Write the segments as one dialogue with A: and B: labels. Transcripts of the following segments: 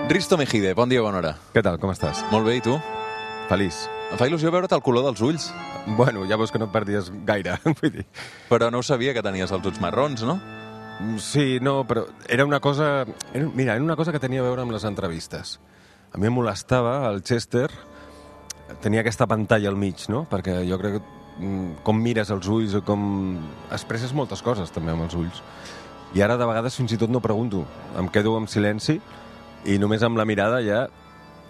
A: Risto Mejide, bon dia, bona hora.
B: Què tal, com estàs?
A: Molt bé, i tu?
B: Feliç.
A: Em fa il·lusió veure't el color dels ulls,
B: Bueno, ja veus que no et perdies gaire, vull dir.
A: però no ho sabia que tenies els ulls marrons, no?
B: Sí, no, però era una cosa... Mira, era una cosa que tenia a veure amb les entrevistes. A mi em molestava, el Chester, tenia aquesta pantalla al mig, no? Perquè jo crec que com mires els ulls o com... expresses moltes coses també amb els ulls. I ara de vegades fins i tot no pregunto. Em quedo en silenci i només amb la mirada ja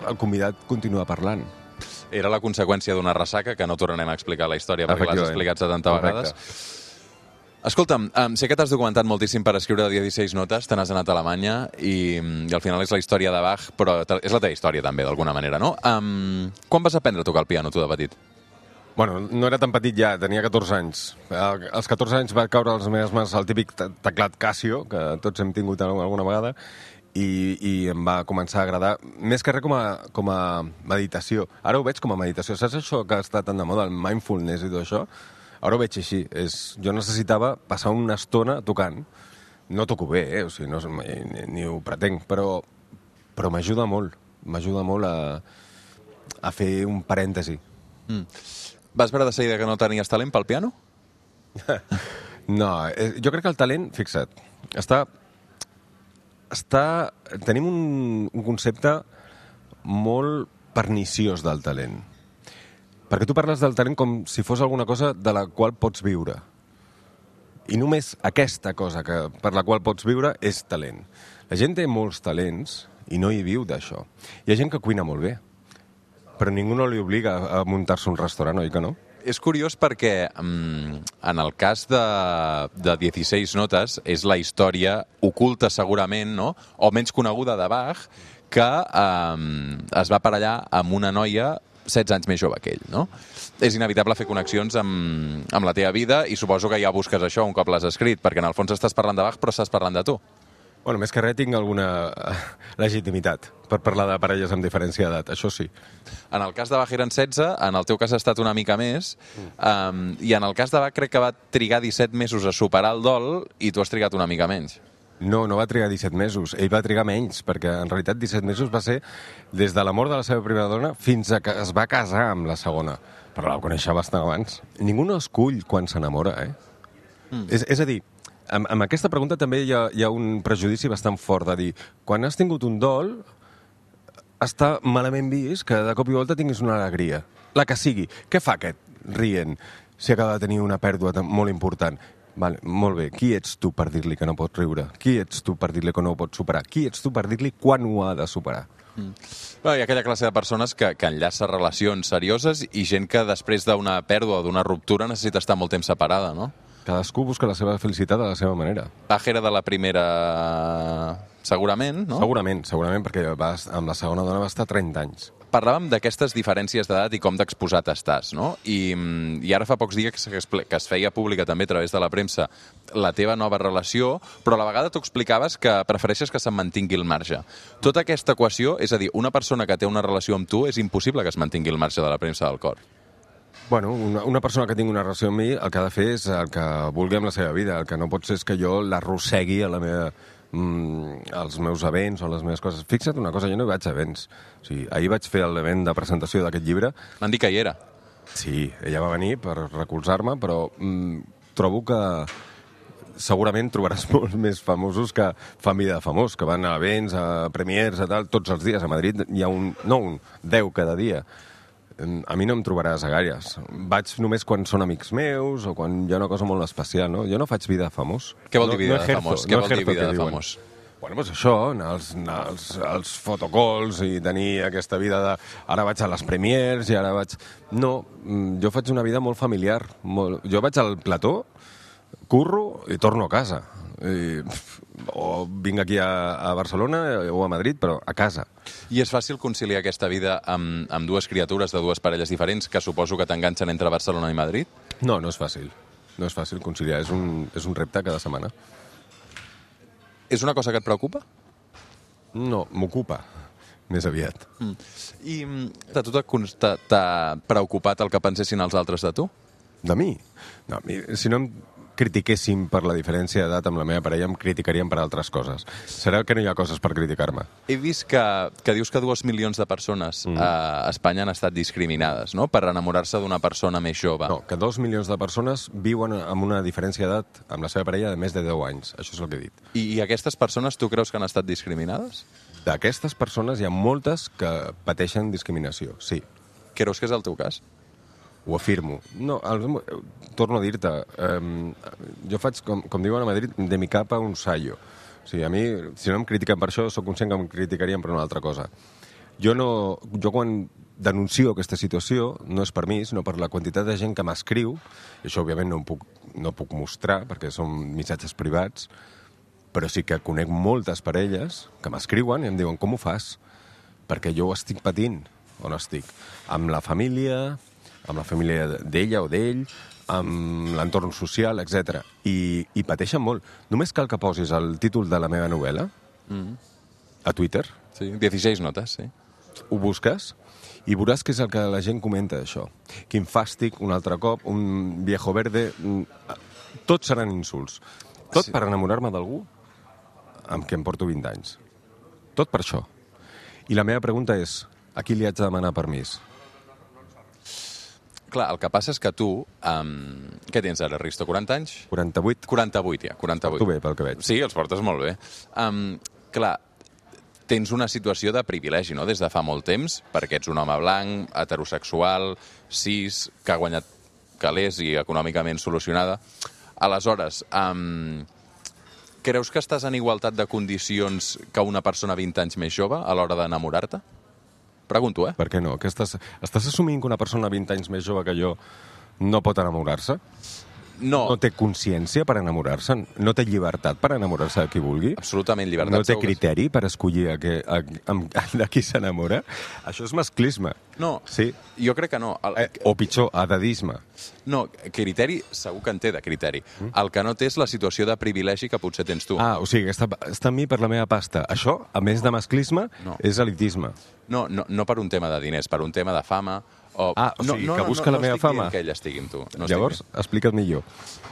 B: el convidat continua parlant.
A: Era la conseqüència d'una ressaca, que no tornarem a explicar la història perquè l'has explicat 70 vegades. Escolta'm, sé que t'has documentat moltíssim per escriure 16 notes, te n'has anat a Alemanya i al final és la història de Bach, però és la teva història també, d'alguna manera, no? Quan vas aprendre a tocar el piano, tu, de petit?
B: Bueno, no era tan petit ja, tenia 14 anys. Als 14 anys va caure a les meves mans el típic teclat Casio, que tots hem tingut alguna vegada, i em va començar a agradar, més que res com a meditació. Ara ho veig com a meditació. Saps això que està tan de moda, el mindfulness i tot això? Ara ho veig així. Jo necessitava passar una estona tocant. No toco bé, o sigui, ni ho pretenc, però m'ajuda molt. M'ajuda molt a fer un parèntesi.
A: Vas veure de seguida que no tenies talent pel piano?
B: No, jo crec que el talent, fixa't, tenim un concepte molt perniciós del talent. Perquè tu parles del talent com si fos alguna cosa de la qual pots viure. I només aquesta cosa per la qual pots viure és talent. La gent té molts talents i no hi viu d'això. Hi ha gent que cuina molt bé, però ningú no li obliga a muntar-se un restaurant, oi que no?
A: És curiós perquè en el cas de 16 notes és la història oculta segurament, no? O menys coneguda de Bach, que es va aparellar amb una noia 16 anys més jove que ell, no? És inevitable fer connexions amb la teva vida i suposo que ja busques això un cop l'has escrit, perquè en el fons estàs parlant de Bach però estàs parlant de tu.
B: Bueno, més que res tinc alguna legitimitat per parlar de parelles amb diferència d'edat, això sí.
A: En el cas de Bach eren 16, en el teu cas ha estat una mica més, i en el cas de Bach crec que va trigar 17 mesos a superar el dol i tu has trigat una mica menys.
B: No va trigar 17 mesos. Ell va trigar menys, perquè en realitat 17 mesos va ser des de la mort de la seva primera dona fins a que es va casar amb la segona. Però la coneixia bastant abans. Ningú no escull quan s'enamora, eh? És a dir, amb aquesta pregunta també hi ha un prejudici bastant fort de dir, quan has tingut un dol, està malament vist que de cop i volta tinguis una alegria. La que sigui. Què fa aquest rient si acaba de tenir una pèrdua molt important? Vale, molt bé. Qui ets tu per dir-li que no pot riure? Qui ets tu per dir-li que no ho pot superar? Qui ets tu per dir-li quan ho ha de superar?
A: Hi ha aquella classe de persones que enllaça relacions serioses i gent que després d'una pèrdua o d'una ruptura necessita estar molt temps separada, no?
B: Cadascú busca la seva felicitat a la seva manera.
A: Bach era de la primera... segurament, no?
B: Segurament, perquè amb la segona dona va estar 30 anys.
A: Parlàvem d'aquestes diferències d'edat i com d'exposat estàs, no? I ara fa pocs dies que es feia pública també a través de la premsa la teva nova relació, però a la vegada tu explicaves que prefereixes que se'n mantingui el marge. Tota aquesta equació, és a dir, una persona que té una relació amb tu és impossible que es mantingui el marge de la premsa del cor.
B: Bueno, una persona que tingui una relació amb mi el que ha de fer és el que vulgui amb la seva vida. El que no pot ser és que jo l'arrossegui a la meva... als meus events o les meves coses. Fixa't una cosa, jo no hi vaig a events. O sigui, ahir vaig fer l'event de presentació d'aquest llibre.
A: M'han dit que hi era.
B: Sí, ella va venir per recolzar-me, però trobo que segurament trobaràs molts més famosos que fan vida de famós, que van a events, a premiers, a tal, tots els dies. A Madrid hi ha 10 cada dia. A mi no em trobaràs a gaires. Vaig només quan són amics meus o quan hi ha una cosa molt especial, no? Jo no faig vida de famós.
A: Què vol dir vida de famós? Què vol dir vida de famós?
B: Bueno, doncs això, anar als fotocalls i tenir aquesta vida de... Ara vaig a les premiers i ara vaig... No, jo faig una vida molt familiar. Jo vaig al plató, curro i torno a casa. O vinc aquí a Barcelona o a Madrid, però a casa.
A: I és fàcil conciliar aquesta vida amb dues criatures de dues parelles diferents que suposo que t'enganxen entre Barcelona i Madrid?
B: No és fàcil. No és fàcil conciliar. És un repte cada setmana.
A: És una cosa que et preocupa?
B: No, m'ocupa, més aviat.
A: I a tu t'ha preocupat el que pensessin els altres de tu?
B: De mi? No, si no em critiquéssim per la diferència d'edat amb la meva parella, em criticarien per altres coses. Serà que no hi ha coses per criticar-me.
A: He vist que dius que 2 milions de persones a Espanya han estat discriminades, no?, per enamorar-se d'una persona més jove.
B: No, que 2 milions de persones viuen amb una diferència d'edat amb la seva parella de més de 10 anys. Això és el que he dit.
A: I aquestes persones tu creus que han estat discriminades?
B: D'aquestes persones hi ha moltes que pateixen discriminació, sí.
A: Creus que és el teu cas?
B: Ho afirmo. No, torno a dir-te, jo faig, com diuen a Madrid, de mi capa un sallo. O sigui, a mi, si no em critiquen per això, sóc conscient que em criticarien per una altra cosa. Jo quan denuncio aquesta situació, no és per mi, sinó per la quantitat de gent que m'escriu, i això òbviament no puc mostrar, perquè són missatges privats, però sí que conec moltes parelles que m'escriuen i em diuen, com ho fas? Perquè jo ho estic patint, o no estic? Amb la família d'ella o d'ell, amb l'entorn social, etc. I pateixen molt. Només cal que posis el títol de la meva novel·la a Twitter.
A: Sí, 16 notes, sí.
B: Ho busques i veuràs què és el que la gent comenta d'això. Quin fàstic, un altre cop, un viejo verde... Tots seran insults. Tot per enamorar-me d'algú amb què em porto 20 anys. Tot per això. I la meva pregunta és, a qui li haig de demanar permís?
A: Clar, el que passa és que tu... què tens ara, Risto? 40 anys?
B: 48.
A: 48, ja, 48.
B: Porto bé, pel que veig.
A: Sí, els portes molt bé. Clar, tens una situació de privilegi, no?, des de fa molt temps, perquè ets un home blanc, heterosexual, cis, que ha guanyat calés i econòmicament solucionada. Aleshores, creus que estàs en igualtat de condicions que una persona 20 anys més jove a l'hora d'enamorar-te? Pregunto,
B: Per què no? Estàs assumint que una persona 20 anys més jove que jo no pot enamorar-se?
A: No.
B: No té consciència per enamorar-se? No té llibertat per enamorar-se de qui vulgui?
A: Absolutament, llibertat.
B: No té criteri per escollir de qui s'enamora? Això és masclisme.
A: No,
B: sí?
A: Jo crec que no.
B: O pitjor, edadisme.
A: No, criteri, segur que en té de criteri. El que no té és la situació de privilegi que potser tens tu.
B: O sigui, està amb mi per la meva pasta. Això, a més de masclisme, és elitisme.
A: No per un tema de diners, per un tema de fama.
B: O sigui, que busca la meva fama.
A: No estic dient que ell estigui amb tu.
B: Llavors, explica't millor.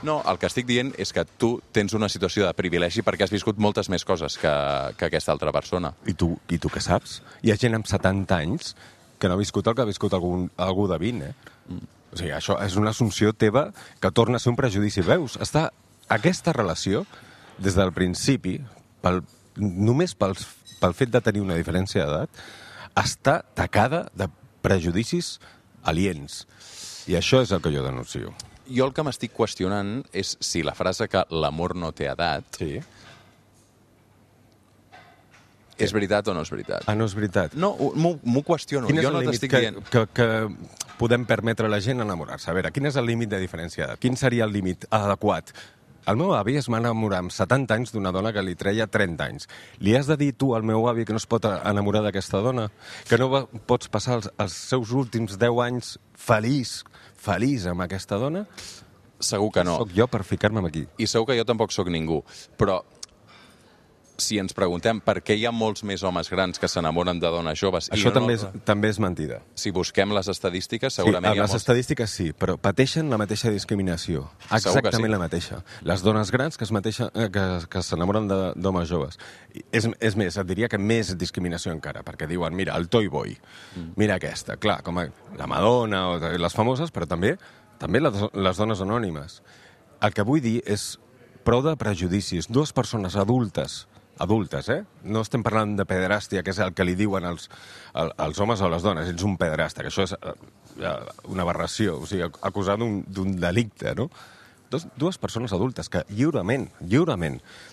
A: No, el que estic dient és que tu tens una situació de privilegi perquè has viscut moltes més coses que aquesta altra persona.
B: I tu què saps? Hi ha gent amb 70 anys que no ha viscut el que ha viscut algú de 20, O sigui, això és una assumpció teva que torna a ser un prejudici. Veus? Aquesta relació, des del principi, només pel fet de tenir una diferència d'edat, està tacada de prejudicis aliens. I això és el que jo denuncio.
A: Jo el que m'estic qüestionant és si la frase que l'amor no té edat és veritat o no és veritat.
B: No és veritat.
A: No, m'ho qüestiono.
B: Quin és
A: jo no
B: el
A: t'estic
B: límit que podem permetre a la gent enamorar-se? A veure, quin és el límit de diferència d'edat? Quin seria el límit adequat? El meu avi es va enamorar amb 70 anys d'una dona que li treia 30 anys. Li has de dir tu al meu avi que no es pot enamorar d'aquesta dona? Que no pots passar els seus últims 10 anys feliç amb aquesta dona?
A: Segur que no.
B: Soc jo per ficar-me aquí.
A: I segur que jo tampoc sóc ningú. Però si ens preguntem per què hi ha molts més homes grans que s'enamoren de dones joves...
B: Això també és mentida.
A: Si busquem les estadístiques, segurament
B: les estadístiques sí, però pateixen la mateixa discriminació. Exactament la mateixa. Les dones grans que s'enamoren d'homes joves. És més, et diria que més discriminació encara, perquè diuen, mira, el Toy Boy, mira aquesta. Clar, com la Madonna o les famoses, però també les dones anònimes. El que vull dir és prou de prejudicis. Dues persones adultes, no estem parlant de pederàstia, que és el que li diuen els homes o les dones, ets un pederasta, que això és una aberració, o sigui, acusar d'un delicte, no? Dues persones adultes que lliurement,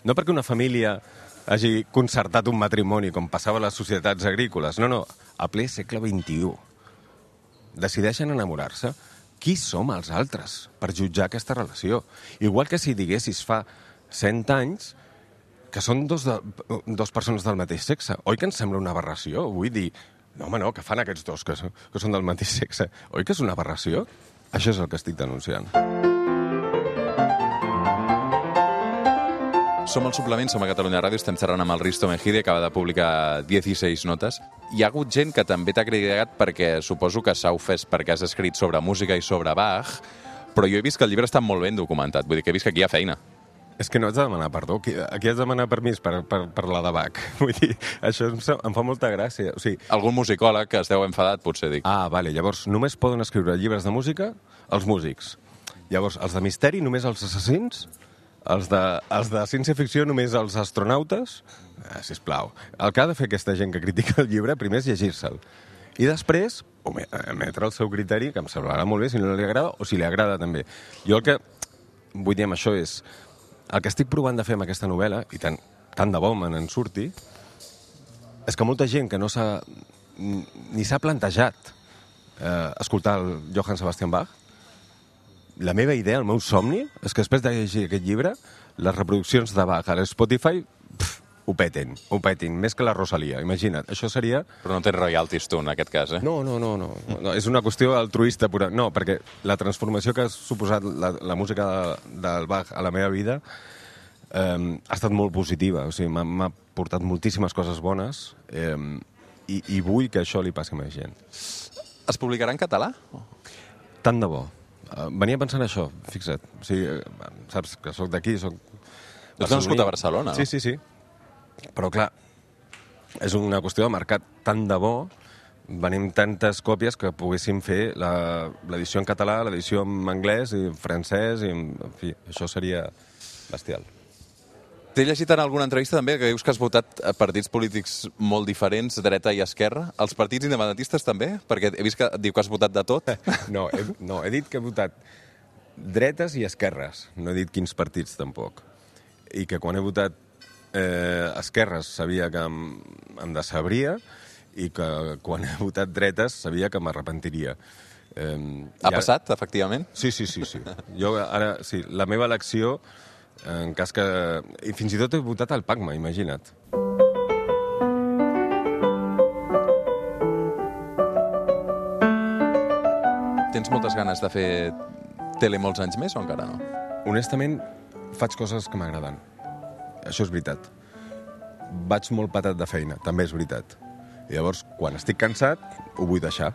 B: no perquè una família hagi concertat un matrimoni com passava a les societats agrícoles, no, a ple segle XXI, decideixen enamorar-se. Qui som els altres per jutjar aquesta relació? Igual que si diguessis fa 100 anys que són dos persones del mateix sexe. Oi que ens sembla una aberració? Vull dir, no, que fan aquests dos que són del mateix sexe? Oi que és una aberració? Això és el que estic denunciant.
A: Som al Suplement, som a Catalunya Ràdio, estem xerrant amb el Risto Mejide, acaba de publicar 16 notes. Hi ha hagut gent que també t'ha criticat perquè suposo que s'ha ofès perquè has escrit sobre música i sobre Bach, però jo he vist que el llibre està molt ben documentat, vull dir que he vist que aquí hi ha feina.
B: És que no haig de demanar perdó. Aquí has de demanar permís per la de Bach. Vull dir, això em fa molta gràcia. O sigui,
A: Algun musicòleg que es deu enfadat, potser dic.
B: vale. Llavors, només poden escriure llibres de música els músics. Llavors, els de misteri, només els assassins. Els de ciència-ficció, només els astronautes. Sisplau. El que ha de fer aquesta gent que critica el llibre, primer és llegir-se'l. I després, emetre el seu criteri, que em semblarà molt bé si no li agrada, o si li agrada també. Jo el que vull dir amb això és... El que estic provant de fer amb aquesta novel·la, i tant de bo me'n surti, és que molta gent que no ni s'ha plantejat escoltar el Johann Sebastian Bach, la meva idea, el meu somni, és que després de llegir aquest llibre, les reproduccions de Bach a l'Spotify ho petin, més que la Rosalia, imagina't. Això seria...
A: Però no tens royalties tu, en aquest cas, eh?
B: No, és una qüestió altruista pura. No, perquè la transformació que ha suposat la música del Bach a la meva vida ha estat molt positiva. O sigui, m'ha portat moltíssimes coses bones i vull que això li passi a més gent.
A: Es publicarà en català?
B: Tant de bo. Venia pensant això, fixa't. O sigui, saps que sóc d'aquí, sóc...
A: Ets nascut a Barcelona, no?
B: Sí. Però, clar, és una qüestió de mercat. Tant de bo venim tantes còpies que poguéssim fer l'edició en català, l'edició en anglès i en francès, i en fi, això seria bestial.
A: T'he llegit en alguna entrevista també que dius que has votat a partits polítics molt diferents, dreta i esquerra. Els partits independentistes també? Perquè he vist que diu que has votat de tot.
B: No, he dit que he votat dretes i esquerres. No he dit quins partits, tampoc. I que quan he votat esquerres sabia que em decebria i que quan he votat dretes sabia que m'arrepentiria.
A: Ha passat, efectivament?
B: Sí. Jo ara, sí, la meva elecció, en cas que... I fins i tot he votat al PACMA, imagina't.
A: Tens moltes ganes de fer tele molts anys més o encara no?
B: Honestament, faig coses que m'agraden. Això és veritat. Vaig molt patat de feina, també és veritat. I llavors, quan estic cansat, ho vull deixar.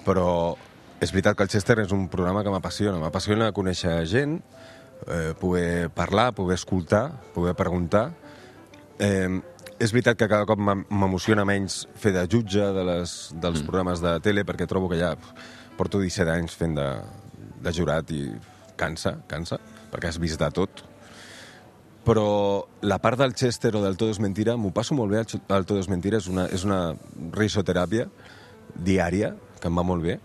B: Però és veritat que el Chester és un programa que m'apassiona. M'apassiona conèixer gent, poder parlar, poder escoltar, poder preguntar. És veritat que cada cop m'emociona menys fer de jutge dels programes de tele, perquè trobo que ja porto 17 anys fent de jurat i cansa, perquè has vist de tot. Però la part del Chester o del Todo es Mentira, m'ho passo molt bé, el Todo es Mentira és una risoteràpia diària, que em va molt bé,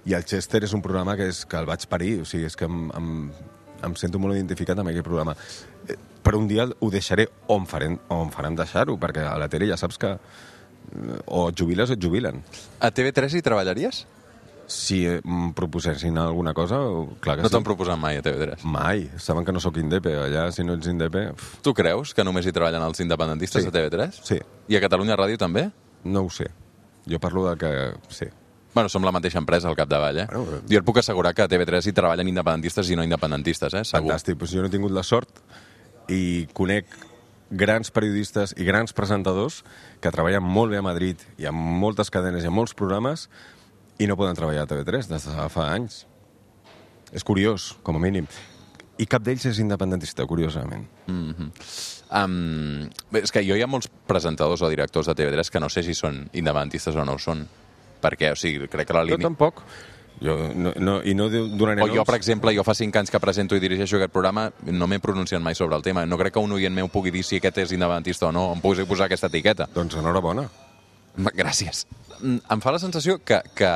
B: i el Chester és un programa que el vaig parir, o sigui, és que em sento molt identificat amb aquest programa. Per un dia ho deixaré o em faran deixar-ho, perquè a la tele ja saps que o et jubiles o et jubilen.
A: A TV3 hi treballaries?
B: Si em proposessin alguna cosa, clar que sí.
A: No t'han proposat mai a TV3?
B: Mai. Saben que no sóc indepe. Allà, si no ets indepe...
A: Tu creus que només hi treballen els independentistes a TV3?
B: Sí.
A: I a Catalunya Ràdio també?
B: No ho sé. Jo parlo de que... Sí.
A: Bueno, som la mateixa empresa al capdavall, eh?
B: Bueno,
A: jo et puc assegurar que a TV3 hi treballen independentistes i no independentistes, eh? Segur.
B: Fantàstic. Pues jo no he tingut la sort i conec grans periodistes i grans presentadors que treballen molt bé a Madrid i amb moltes cadenes i amb molts programes i no poden treballar a TV3 des de fa anys. És curiós, com a mínim. I cap d'ells és independentista, curiosament.
A: És que hi ha molts presentadors o directors de TV3 que no sé si són independentistes o no ho són. Perquè, o sigui, crec que la línia...
B: Jo tampoc. I no donaré
A: noms. O jo, per exemple, fa 5 anys que presento i dirigeixo aquest programa, no m'he pronunciat mai sobre el tema. No crec que un oient meu pugui dir si aquest és independentista o no, em pugui posar aquesta etiqueta.
B: Doncs enhorabona.
A: Gràcies. Em fa la sensació que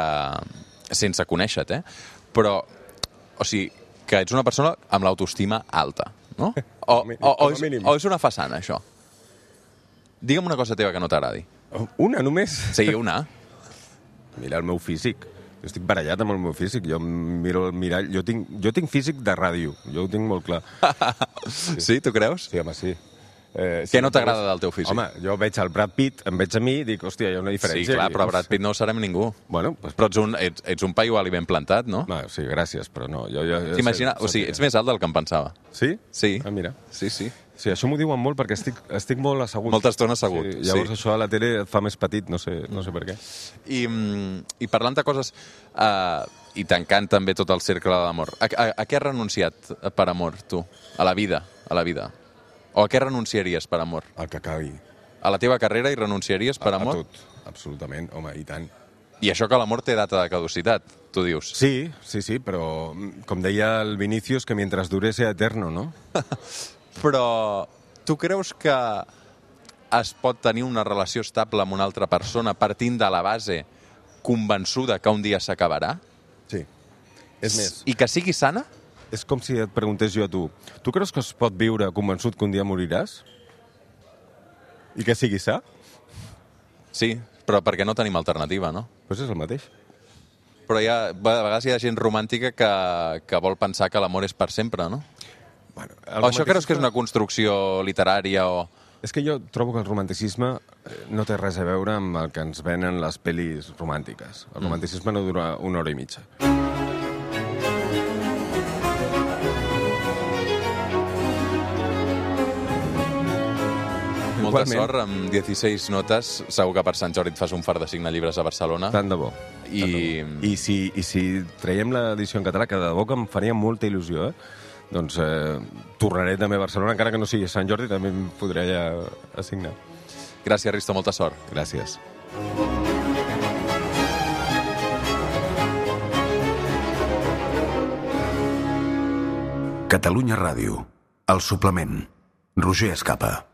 A: sense conèixer-te, però, o sigui, que ets una persona amb l'autoestima alta, no? O és una façana, això? Digue'm una cosa teva que no t'agradi.
B: Una, només?
A: Sí, una.
B: Mira el meu físic. Jo estic barallat amb el meu físic. Jo miro el mirall. Jo tinc físic de ràdio. Jo ho tinc molt clar.
A: Sí, tu creus?
B: Sí, home, sí.
A: Què no t'agrada del teu físic?
B: Home, jo veig el Brad Pitt, em veig a mi i dic, hòstia, hi ha una diferència.
A: Sí, clar, però Brad Pitt no ho serem ningú.
B: Bueno, pues...
A: Però ets un paio ali ben plantat, no?
B: Sí, gràcies, però no.
A: T'imagina, o sigui, ets més alt del que em pensava.
B: Sí?
A: Sí.
B: Ah, mira.
A: Sí.
B: Sí, això m'ho diuen molt perquè estic molt assegut.
A: Molta estona assegut.
B: Sí, llavors això a la tele et fa més petit, no sé per què.
A: I parlant de coses I tancant també tot el cercle de l'amor. A què has renunciat per amor, tu? A la vida, O a què renunciaries per amor?
B: El que acabi.
A: A la teva carrera hi renunciaries per amor?
B: A tot, absolutament, home, i tant.
A: I això que l'amor té data de caducitat, tu dius.
B: Sí, però com deia el Vinicius, que mientras dure sea eterno, no?
A: Però tu creus que es pot tenir una relació estable amb una altra persona partint de la base convençuda que un dia s'acabarà?
B: Sí. És més,
A: I que sigui sana?
B: és com si et preguntés jo a tu. Tu creus que es pot viure convençut que un dia moriràs? I que sigui sa?
A: Sí, però perquè no tenim alternativa, no?
B: Doncs és el mateix.
A: Però a vegades hi ha gent romàntica que vol pensar que l'amor és per sempre, no?
B: Bueno,
A: O això creus que és una construcció literària o...
B: És que jo trobo que el romanticisme no té res a veure amb el que ens venen les pel·lis romàntiques. El romanticisme no dura 1 hora i mitja.
A: Molta sort, amb 16 notes. Segur que per Sant Jordi et fas un fart de signar llibres a Barcelona.
B: Tant de bo.
A: I
B: si traiem l'edició en català, que de debò que em faria molta il·lusió, doncs tornaré també a Barcelona, encara que no sigui Sant Jordi, també em podré allà assignar.
A: Gràcies, Risto, molta sort.
B: Gràcies.
C: Catalunya Ràdio. El suplement. Roger Escapa.